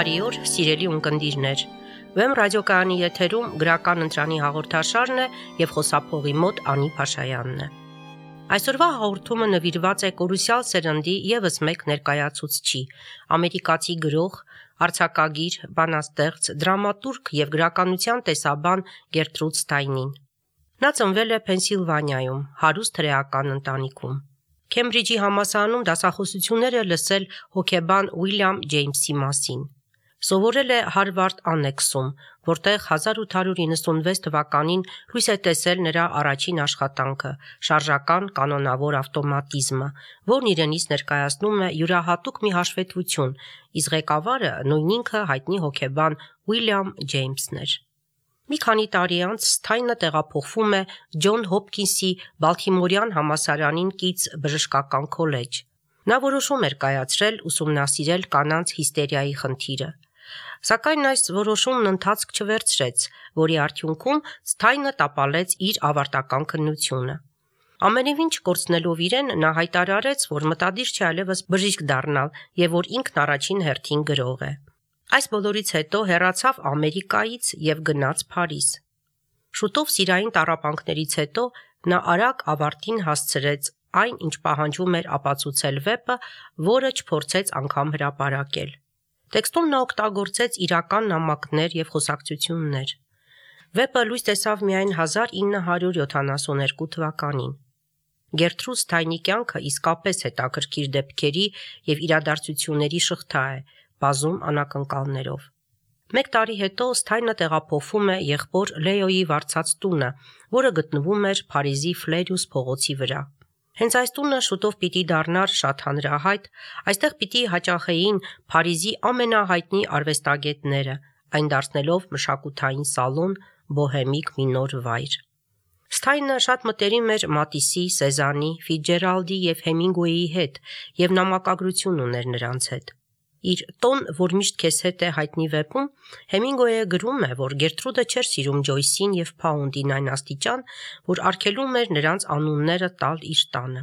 Բարի օր, սիրելի ունկնդիրներ։ Վեմ ռադիոկայանի եթերում գրական ընտրանի հաղորդաշարն է եւ խոսափողի մոտ Անի Փաշայանն է։ Այսօրվա հաղորդումը նվիրված է կորուսյալ սերնդի եւս մեկ ներկայացուցչի, ամերիկացի գրող, արձակագիր, բանաստեղծ, դրամատուրգ եւ գրականության տեսաբան Գերտրուդ Ստայնին։ Նա ծնվել է Փենսիլվանիայում, հարուստ հրեական ընտանիքում։ Քեմբրիջի համալսարանում դասախոսություններ է լսել հոկեբան Ուիլյամ Ջեյմսի մասին։ Սովորել է Հարվարդ Աննեքսում, որտեղ 1896 թվականին լույս է տեսել նրա առաջին աշխատանքը՝ շարժական կանոնավոր ավտոմատիզմը, որն իրենից ներկայացնում է յուրահատուկ մի հաշվետվություն, իսկ ղեկավարը նույն ինքը հայտնի հոկեբան Ուիլյամ Ջեյմսն էր։ Մի քանի տարի անց Սթայնը տեղափոխվում է Ջոն Հոփքինսի Բալթիմորյան համալսարանին կից բժշկական քոլեջ։ Նա որոշում էր կայացրել ուսումնասիրել կանանց հիստերիայի խնդիրը։ Սակայն այս որոշումն ընթացք չվերցրեց, որի արդյունքում Սթայնը տապալեց իր ավարտական քննությունը։ Ամենևին չկորցնելով իրեն, նա հայտարարեց, որ մտադիր չէ այլևս բժիշկ դառնալ եւ որ ինքն առաջին հերթին գրող է։ Այս բոլորից հետո հեռացավ Ամերիկայից եւ գնաց Փարիզ։ Շուտով սիրային տառապանքներից հետո նա արագ ավարտին հասցրեց այն, ինչ պահանջում էր ապացուցել վեպը, որը չփորձեց անգամ հրապարակել։ Տեքստում նա օգտագործեց իրական նամակներ եւ խոսակցություններ։ Վեպը լույս տեսավ միայն 1972 թվականին։ Գերտրուդ Ստայնի կյանքը իսկապես հետաքրքիր դեպքերի եւ իրադարձությունների շղթա է, բազում անակնկալներով։ Մեկ տարի հետո Ստայնը տեղափոխվում է եղբոր Լեոյի վարձած տունը, որը գտնվում էր Փարիզի Ֆլերյուս փողոցի վրա։ Հենց այս տունը շուտով պիտի դառնար շատ հանրահայտ, այստեղ պիտի հաճախեին Փարիզի ամենահայտնի արվեստագետները, այն դարձնելով մշակութային սալոն, բոհեմիկ մի նոր վայր։ Ստայնը շատ մտերիմ էր Մատիսի, Սեզանի, Ֆիցջերալդի եւ Հեմինգուեյի հետ եւ նամակագրություն ուներ նրանց հետ։ Իր «Տոն, որ միշտ քեզ հետ է» հայտնի վեպում Հեմինգուեյը գրում է, որ Գերտրուդը չէր սիրում Ջոյսին եւ Փաունդին այն աստիճան, որ արգելում էր նրանց անունները տալ իր տանը։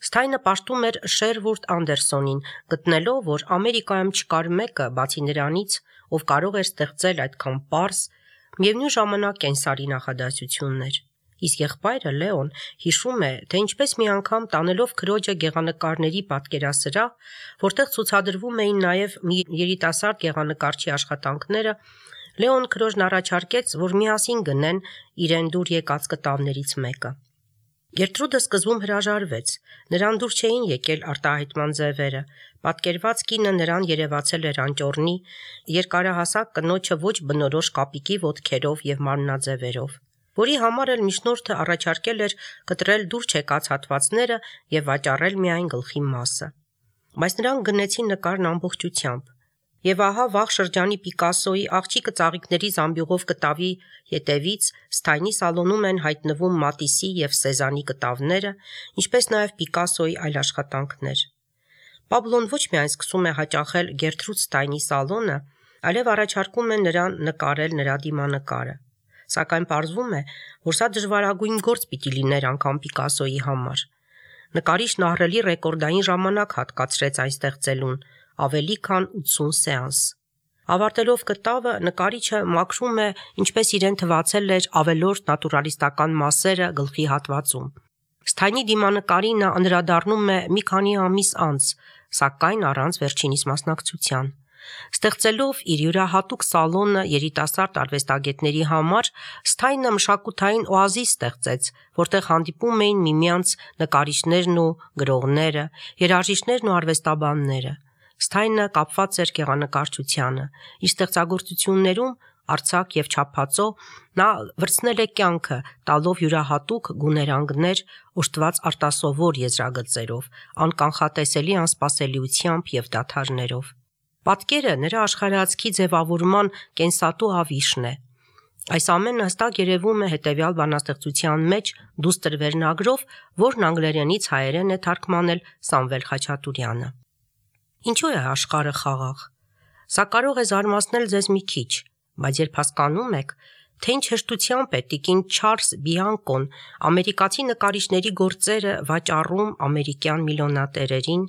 Ստայնը պաշտում էր Շերվուրդ Անդերսոնին, գտնելով, որ Ամերիկայում չկար մեկը, բացի նրանից, ով կարող էր ստեղծել այդքան պարզ, միևնույն ժամանակ կենսարի նախադասություններ։ Իսկ եղբայրը Լեոն հիշում է, թե ինչպես մի անգամ տանելով քրոջը գեղանկարների պատկերասրահ, որտեղ ցուցադրվում էին նաև մի երիտասարդ գեղանկարչի աշխատանքները, Լեոն քրոջն առաջարկեց, որ միասին գնեն իրեն դուր եկած կտավներից մեկը։ Գերտրուդը սկզբում հրաժարվեց, նրան դուր չէին եկել արտահայտման ձևերը, պատկերված կինը նրան երևացել էր անճոռնի, երկարահասակ կնոջը ոչ բնորոշ կապիկի ոտքերով եւ մարմնաձևերով, որի համար էլ միջնորդը առաջարկել էր կտրել դուր չեկած հատվածները եւ վաճառել միայն գլխի մասը։ Բայց նրանք գնեցին նկարն ամբողջությամբ։ Եվ ահա վաղ շրջանի Պիկասոյի աղջիկը ծաղիկների զամբյուղով կտավի ետևից Ստայնի սալոնում են հայտնվում Մատիսի եւ Սեզանի կտավները, ինչպես նաեւ Պիկասոյի այլ աշխատանքներ։ Պաբլոն ոչ միայն սկսում է հաճախել Գերտրուդ Ստայնի սալոնը, այլև առաջարկում է նրան նկարել նրա դիմանկարը։ Սակայն պարզվում է, որ սա դժվարագույն գործ պիտի լիներ անգամ Պիկասոյի համար։ Նկարիչն ահռելի ռեկորդային ժամանակ հատկացրեց այն ստեղծելուն, ավելի քան 80 սեանս։ Ավարտելով կտավը, նկարիչը մաքրում է, ինչպես իրեն թվացել էր ավելորդ նատուրալիստական մասերը գլխի հատվածում։ Ստայնի դիմանկարին նա անդրադառնում է մի քանի ամիս անց, սակայն առանց վերջինիս մասնակցության։ Ստեղծելով իր յուրահատուկ սալոնը երիտասարդ արվեստագետների համար, Ստայնը մշակութային օազիս ստեղծեց, որտեղ հանդիպում էին միմյանց նկարիչներն ու գրողները, երաժիշտներն ու արվեստաբանները։ Ստայնը կապված էր գեղանկարչությանը։ Իր ստեղծագործություններում արձակ եւ չափածո նա վրցնել է կյանքը, տալով յուրահատուկ գուներանգներ, օժտված արտասովոր եզրագծերով, անկանխատեսելի անսպասելիությամբ եւ դադարներով։ Պատկերը նրա աշխարհայացքի ձևավորման կենսատու ավիշն է։ Այս ամենը հստակ երևում է հետևյալ բանաստեղծության մեջ «Դուստր» վերնագրով, որն անգլերենից հայերեն է թարգմանել Սամվել Խաչատուրյանը։ Ինչու է աշխարհը խաղաղ։ Սա կարող է զարմացնել ձեզ մի քիչ, բայց երբ հասկանում եք, թե ինչ հեշտությամբ է տիկին Չարլզ Բիանկոն ամերիկացի նկարիչների գործերը վաճառում ամերիկյան միլիոնատերերին,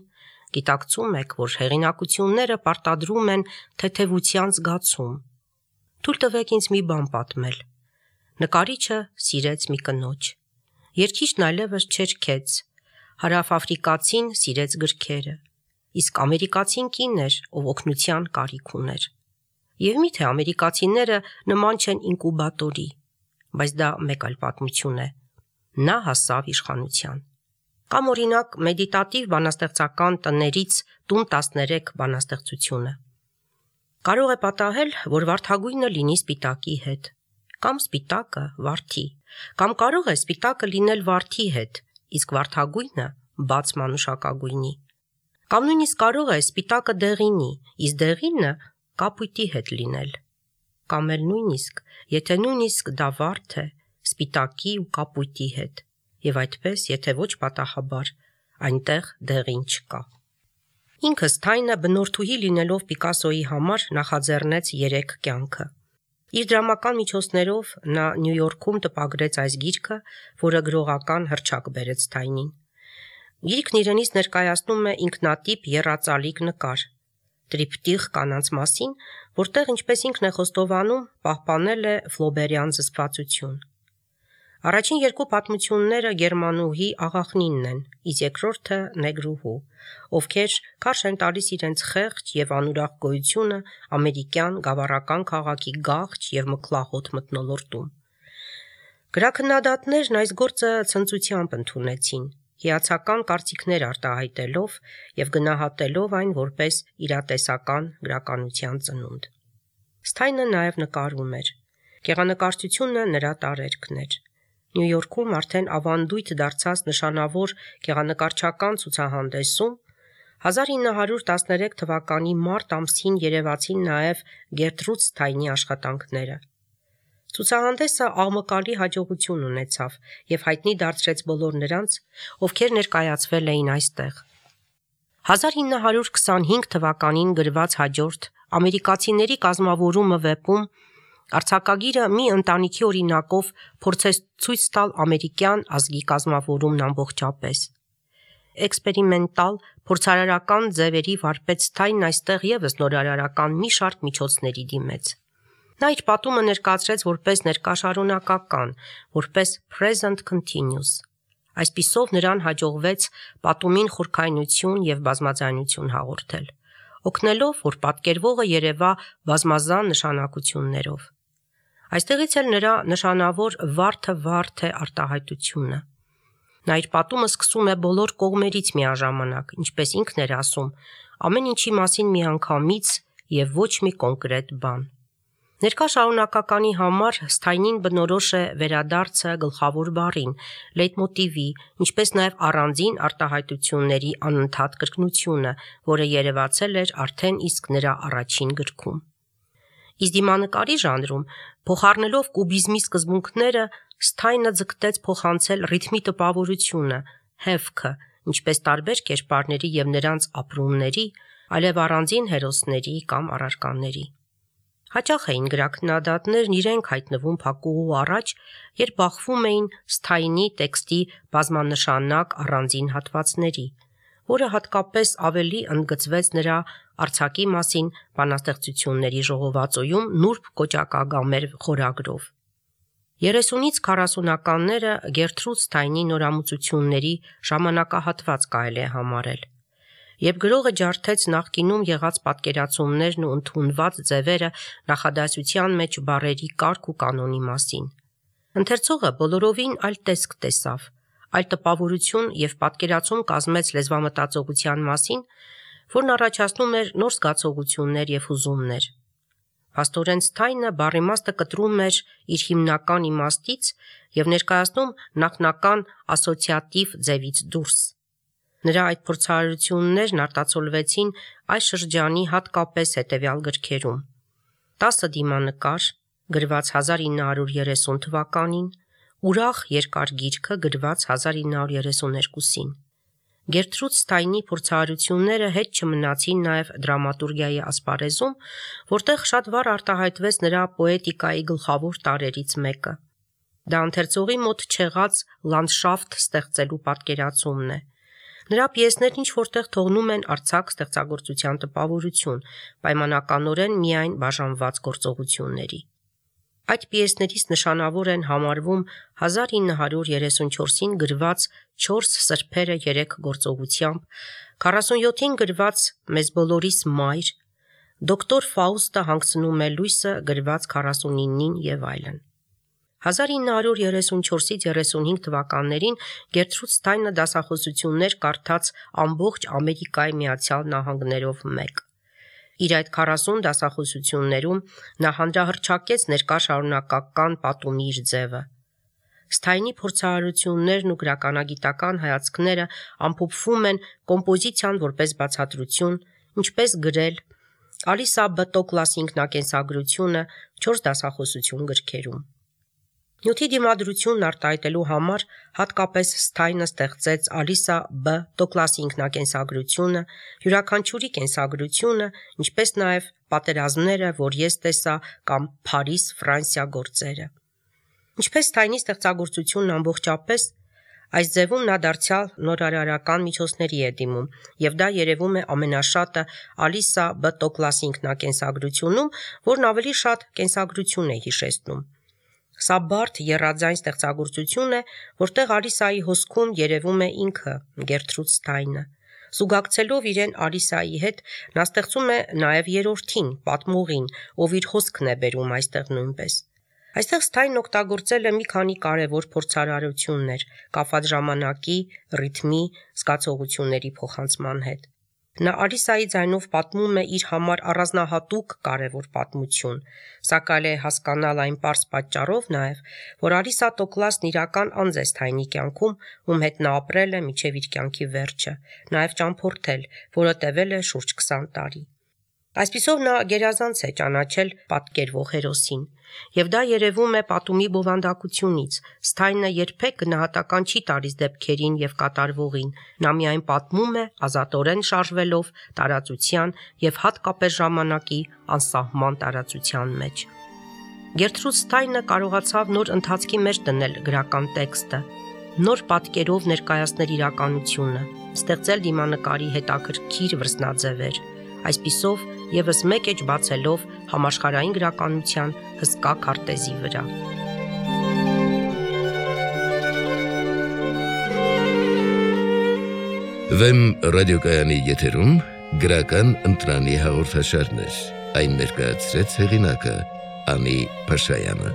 Գիտակցում եք, որ հեղինակությունները պարտադրում են թեթևության զգացում։ Թույլ տվեք ինձ մի բան պատմել։ Նկարիչը սիրեց մի կնոջ։ Երգիչն այլևս չերգեց, հարավաֆրիկացին սիրեց գրքերը, իսկ ամերիկացին կին էր, ով օգնության կարիք ուներ։ Եվ միթե ամերիկացիները նման չեն ինկուբատորի, բայց դա մեկ այլ պատմություն է։ Նա հասավ իշխանության։ Կամ օրինակ մեդիտատիվ բանաստեղծական տներից տուն 13 բանաստեղծությունը։ Կարող է պատահել, որ վարդագույնը լինի սպիտակի հետ, կամ սպիտակը վարդի, կամ կարող է սպիտակը լինել վարդի հետ, իսկ վարդագույնը բաց մանուշակագույնի, կամ նույնիսկ կարող է սպիտակը դեղինի, իսկ դեղինը կապույտի հետ լինել, կամ էլ նույնիսկ, եթե նույնիսկ դա վարդ է, սպիտակի ու կապույտի հետ, եւ այդպես, եթե ոչ պատահաբար, այնտեղ դեղին չկա։ Ինքը Սթայնը բնորդուհի լինելով Պիկասոյի համար նախաձեռնեց 3 կյանքը։ Իր դրամական միջոցներով նա Նյու Յորքում տպագրեց այս գիրքը, որը գրողական հռչակ բերեց Սթայնին։ Գիրքն իրենից ներկայացնում է ինքնատիպ եռածալիկ նկար, տրիպտիխ կանանց մասին, որտեղ ինչպես ինքն է խոստովանում, պահպանել է ֆլոբերյան զսպվածություն։ Առաջին 2 պատմությունները գերմանուհի աղախնինն են, իսկ երկրորդը նեգրուհու, ովքեր քարշ են տալիս իրենց խեղճ եւ անուրախ գոյությունը ամերիկյան գավառական քաղաքի գաղճ եւ մքլահոտ մթնոլորտում։ Գրաքննադատներն այս գործը ցնծությամբ ընդունեցին, հիացական կարծիքներ արտահայտելով եւ գնահատելով այն որպես իրատեսական գրականության ծնունդ։ Սթայնը նաեւ նկարում էր։ Գեղանկարչությունը նրա տարերքն էր։ Նյու Յորքում արդեն ավանդույթ դարձած նշանավոր գեղանկարչական ցուցահանդեսում 1913 թվականի մարտ ամսին երևացին նաև Գերտրուդ Սթայնի աշխատանքները։ Ցուցահանդեսը աղմկալի հաջողություն ունեցավ եւ հայտնի դարձրեց բոլոր նրանց, ովքեր ներկայացվել էին այստեղ։ 1925 թվականին գրված հաջորդ ամերիկացիների կազմավորումը վեպում արձակագիրը մի ընտանիքի օրինակով փորձեց ցույց տալ ամերիկյան ազգի կազմավորումն ամբողջապես։ Էքսպերիմենտալ, փորձարարական ձևերի վարպետ Սթայնն այստեղ եւս նորարարական մի շարք միջոցների դիմեց։ Նա իր պատումը ներկայացրեց որպես ներկաշարունակական, որպես present continuous։ Այսպիսով նրան հաջողվեց պատումին խորքայնություն եւ բազմաձայնություն հաղորդել, օգնելով, որ պատկերվողը երևա բազմազան նշանակություններով։ Այստեղից էլ նրա նշանավոր վարդը է արտահայտությունը։ Նա իր պատումը սկսում է բոլոր կողմերից միաժամանակ, ինչպես ինքն էր ասում, ամեն ինչի մասին միանգամից եւ ոչ մի կոնկրետ բան։ Ներկա շարունակականի համար Սթայնին բնորոշ է վերադարձը գլխավոր բառին, լեյտմոտիվի, ինչպես նաև առանձին արտահայտությունների անընդհատ կրկնությունը, որը երևացել էր արդեն իսկ նրա առաջին գրքում։ Իսկ դիմանկարի ժանրում, փոխառնելով կուբիզմի սկզբունքները, Սթայնը ձգտեց փոխանցել ռիթմի տպավորությունը, հեվքը, ինչպես տարբեր կերպարների եւ նրանց ապրումների, այլև առանձին հերոսների կամ առարկաների։ Հաճախ էին գրաքննադատներն իրենք հայտնվում փակուղու առաջ, երբ բախվում էին Սթայնի տեքստի բազմանշանակ առանձին հատվածների, որը հատկապես ավելի ընդգծվեց նրա արձակի մասին բանաստեղծությունների ժողովածոյում նուրբ կոճակագամեր խորագրով։ 30-ից 40-ականները Գերտրուդ Սթայնի նորամուծությունների ժամանակահատված կարելի է համարել, երբ գրողը ջարդեց նախկինում եղած պատկերացումներն ու ընդունված ձևերը նախադասության մեջ բառերի կարգ ու կանոնի մասին։ Ընթերցողը բոլորովին այլ տեսք տեսավ, այլ տպավորություն եւ պատկերացում կազմեց լեզվամտածողության մասին, որն առաջացնում էր նոր զգացողություններ եւ հուզումներ։ Փաստորեն Սթայնը բառիմաստը կտրում էր իր հիմնական իմաստից եւ ներկայացնում նախնական ասոցիատիվ ձևից դուրս։ Նրա այդ փորձառություններն արտացոլվեցին այս շրջանի հատկապես հետևյալ գրքերում. 10 դիմանկար, գրված 1930 թվականին, Ուրախ երկար գիրքը, գրված 1932-ին։ Գերտրուդ Սթայնի փորձառությունները հետ չմնացին նաև դրամատուրգիայի ասպարեզում, որտեղ շատ վառ արտահայտվեց նրա պոետիկայի գլխավոր տարրերից մեկը։ Դա ընթերցողի մոտ չեղած լանդշաֆտ ստեղծելու պատկերացումն է։ Նրա պիեսներն ինչ որտեղ թողնում են արձակ ստեղծագործության տպավորություն, պայմանականորեն միայն բաժանված գործողությունների։ Այդ պիեսներից նշանավոր են համարվում 1934-ին գրված 4 սրբերը 3 գործողությամբ, 47-ին գրված Մեզ բոլորիս մայր, Դոկտոր Ֆաուստը հանգցնում է լույսը գրված 49-ին եւ այլն։ 1934-35 թվականներին Գերտրուդ Սթայնը դասախոսություններ կարդաց ամբողջ Ամերիկայի Միացյալ Նահանգներով մեկ։ Իր այդ 40 դասախոսություններում նա հանրահռչակեց ներկա շարունակական պատումի իր ձևը։ Սթայնի փորձարարություններն ու գրականագիտական հայացքները ամփոփվում են կոմպոզիցիան որպես բացատրություն, ինչպես գրել, Ալիսա B. Տոկլասի ինքնակենսագրությունը 4 դասախոսություն գրքերում։ Նյութի դիմադրությունն արտահայտելու համար հատկապես Սթայնը ստեղծեց Ալիսա B. Տոկլասի ինքնակենսագրությունը, յուրաքանչյուրի կենսագրությունը, ինչպես նաև պատերազմները, որ ես տեսա կամ Փարիզ, Ֆրանսիա գործերը։ Ինչպես Սթայնի ստեղծագործությունն ամբողջապես, այս ձևում նա դարձյալ նորարարական միջոցների է դիմում, եւ դա երևում է ամենաշատը Ալիսա B. Տոկլասի ինքնակենսագրությունում, որն ավելի շատ կենսագրություն է հիշեցնում։ Սա բարդ եռաձայն ստեղծագործություն է, որտեղ Ալիսայի հոսքում երևում է ինքը Գերտրուդ Սթայնը։ Զուգակցելով իրեն Ալիսայի հետ, նա ստեղծում է նաև երրորդին, պատմողին, ով իր հոսքն է բերում այստեղ նույնպես։ Այստեղ Սթայնն օգտագործել է մի քանի կարևոր փորձարարություններ կապված ժամանակի, ռիթմի, զգացողությունների փոխանցման հետ։ Նա Ալիսայի ձայնով պատմում է իր համար առանձնահատուկ կարևոր պատմություն, սակայն է հասկանալ այն պարզ պատճառով նաև, որ Ալիսա Տոկլասն իրական անձ է Սթայնի կյանքում, ում հետ նա ապրել է մինչև իր կյանքի վերջը, նաև ճամփորդել, որը տևել է շուրջ 20 տարի։ Այսպիսով նա գերազանց է ճանաչել պատկերվող հերոսին, եւ դա երևում է պատումի բովանդակությունից։ Սթայնը երբեք գնահատական չի տալիս դեպքերին եւ կատարվողին, նա միայն պատմում է ազատորեն շարժվելով տարածության եւ հատկապես ժամանակի անսահման տարածության մեջ։ Գերտրուդ Սթայնը կարողացավ նոր ընթացքի մեջ դնել գրական տեքստը, նոր պատկերով ներկայացնել իրականությունը, ստեղծել դիմանկարի հետաքրքիր վրձնաձևեր, այսպիսով եւս մեկ էջ բացելով համաշխարհային գրականության հսկա քարտեզի վրա։ Վեմ ռադիոկայանի եթերում գրական ընտրանի հաղորդաշարներ, այն ներկայացրեց հեղինակը Անի Փաշայանը։